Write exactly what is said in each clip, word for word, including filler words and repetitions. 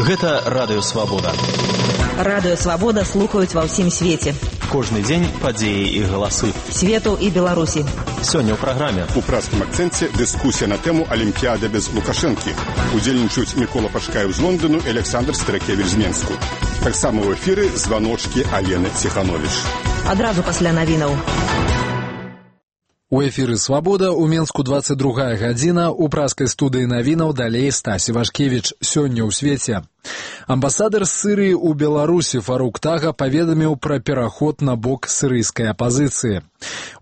Гэта Радыё Свабода. Радыё Свабода слухаюць ва ўсім свеце. Кожны дзень падзеі і галасы. Свету і Беларусі. Сёння ў праграме. У пражскім акцэнце дыскусія на тэму Алімпіяда без Лукашэнкі. Удзельнічаюць Мікола Пачкаеў з Лондону і Александр Старакевіч з Менску. Таксама ў эфіры званочкі Алены Ціхановіч. Адразу пасля навінаў. У эфіры «Свабода» у Менску двадцать другая гадзіна, у праскай студыі навінаў далей Стасі Вашкевіч. Сёння ў свеце. Амбасадар Сырыі ў Беларусі Фарук Тага паведаміў пра пераход на бок сырыйскай апазіцыі.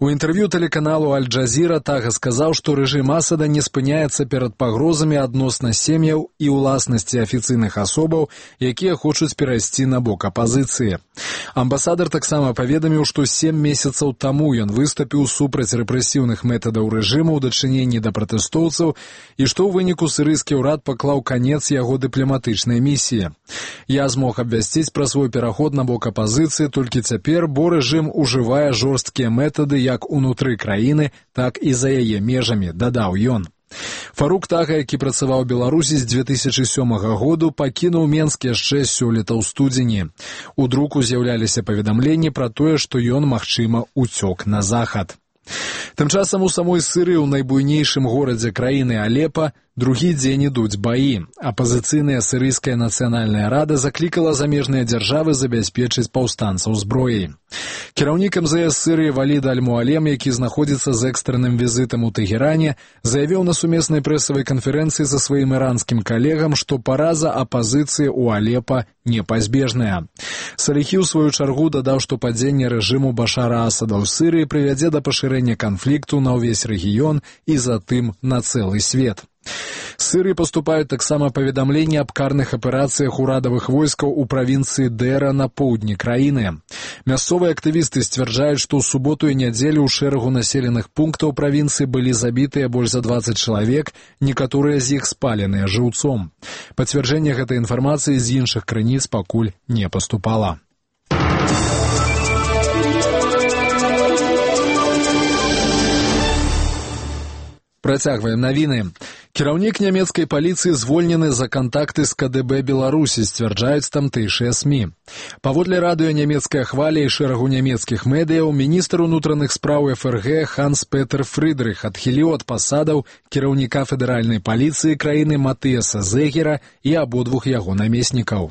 У інтэрв'ю тэлеканалу Аль-Джазіра Тага сказаў, што рэжым Асада не спыняецца перад пагрозамі адносна сем'яў і ўласнасці афіцыйных асобаў, якія хочуць перайсці на бок апазіцыі. Амбасадар таксама паведаміў, што сем месяцаў таму ён выступіў супраць рэпрэсіўных метадаў рэжыму ў дачыненні да пратэстоўцаў і што ў выніку сырыйскі ўрад паклаў канец яго дыпламатычнай місіі. Я змог абвясціць пра свой пераход на бок апазіцыі толькі цяпер, бо рэжым ужывае жорсткія метады як унутры краіны, так і за яе межамі, дадаў ён. Фарук Тага, які працаваў у Беларусі з дзве тысячы сёмага году, пакінуў Менск яшчэ сёлета ў студзені. У друку з'яўляліся паведамленні пра тое, што ён, магчыма, уцёк на захад. Тым часам у самой Сырыі, у найбуйнейшым горадзе краіны Алепа, другі дзень ідуць баі. Апазіцыйная сырыйская нацыянальная рада заклікала замежныя дзяржавы забяспечыць паўстанцаў зброяй. Кіраўнік эм зэ эс Сырыі Валід Аль-Муалем, які знаходзіцца з экстранным візітам у Тэгеране, заявіў на сумеснай прэсавай канферэнцыі са сваім іранскім калегам, што параза апазіцыі ў Алепа непазбежная. Саліхі, ў сваю чаргу, дадаў, што падзенне рэжыму Башара Асада ў Сырыі прывядзе да пашырэння канфлікту на ўвесь рэгіён і затым на цэлы свет. З Сырыі паступаюць таксама паведамленні аб карных аперацыях урадавых войскаў у правінцыі Дэра на поўдні краіны. Мясцовыя актывісты сцвярджаюць, што ў суботу і нядзелю ў шэрагу населеных пунктаў правінцыі былі забітыя больш за дваццаць чалавек, некаторыя з іх спаленыя жыўцом. Пацвярджэнне гэтай інфармацыі з іншых крыніц пакуль не паступала. Працягваем навіны. Кіраўнік нямецкай паліцыі звольнены за кантакты з ка дэ бэ Беларусі, сцвярджаюць тамтэйшыя СМІ. Паводле радыё нямецкая хваля і шэрагу нямецкіх медыяў, міністр унутраных спраў эф эр гэ Ханс Петер Фрыдрых адхіліў ад пасадаў кіраўніка федэральнай паліцыі краіны Матыяса Зегера і абодвух яго намеснікаў.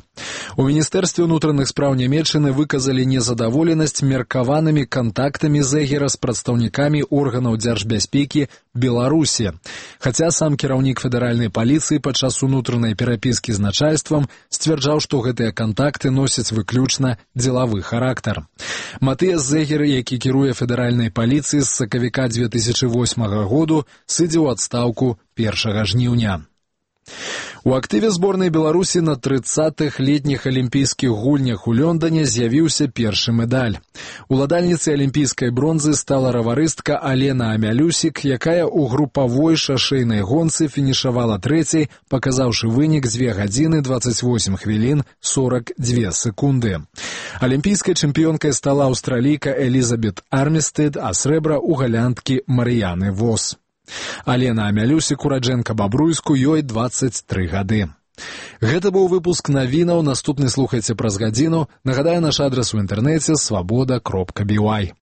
У міністэрстве унутраных спраў Нямецчыны выказалі незадаволенасць меркаванымі кантактамі Зегера з прадстаўнікамі органаў дзяржбяспекі Беларусі. Хаця сам кіраўнік федэральнай паліцыі падчас унутранай перапіскі з начальствам сцвярджаў, што гэтыя кантакты носяць выключна дзелавы характар. Матыяс Зегер, які кіруе федэральнай паліцыі з сакавіка дзве тысячы восьмага году, сыдзе ў адстаўку першага жніўня. У актыве зборнай Беларусі на трыццатых летніх алімпійскіх гульнях у Лондоне з'явіўся першы медаль. Уладальніцай алімпійскай бронзы стала раварыстка Алена Амялюсік, якая ў групавой шашэйнай гонцы фінішавала трэцяй, паказаўшы вынік дзве гадзіны дваццаць восем хвілін сорак дзве секунды. Алімпійскай чэмпіёнкай стала аўстралійка Элізабет Армістэд, а срэбра ў галянткі Марыяны Вос. Алена Амялюсік, ураджэнка Бабруйску, ёй дваццаць тры гады. Гэта быў выпуск навінаў, наступны слухайце праз гадзіну. Нагадаю, наш адрас у інтэрнэце свабода кропка бі вай.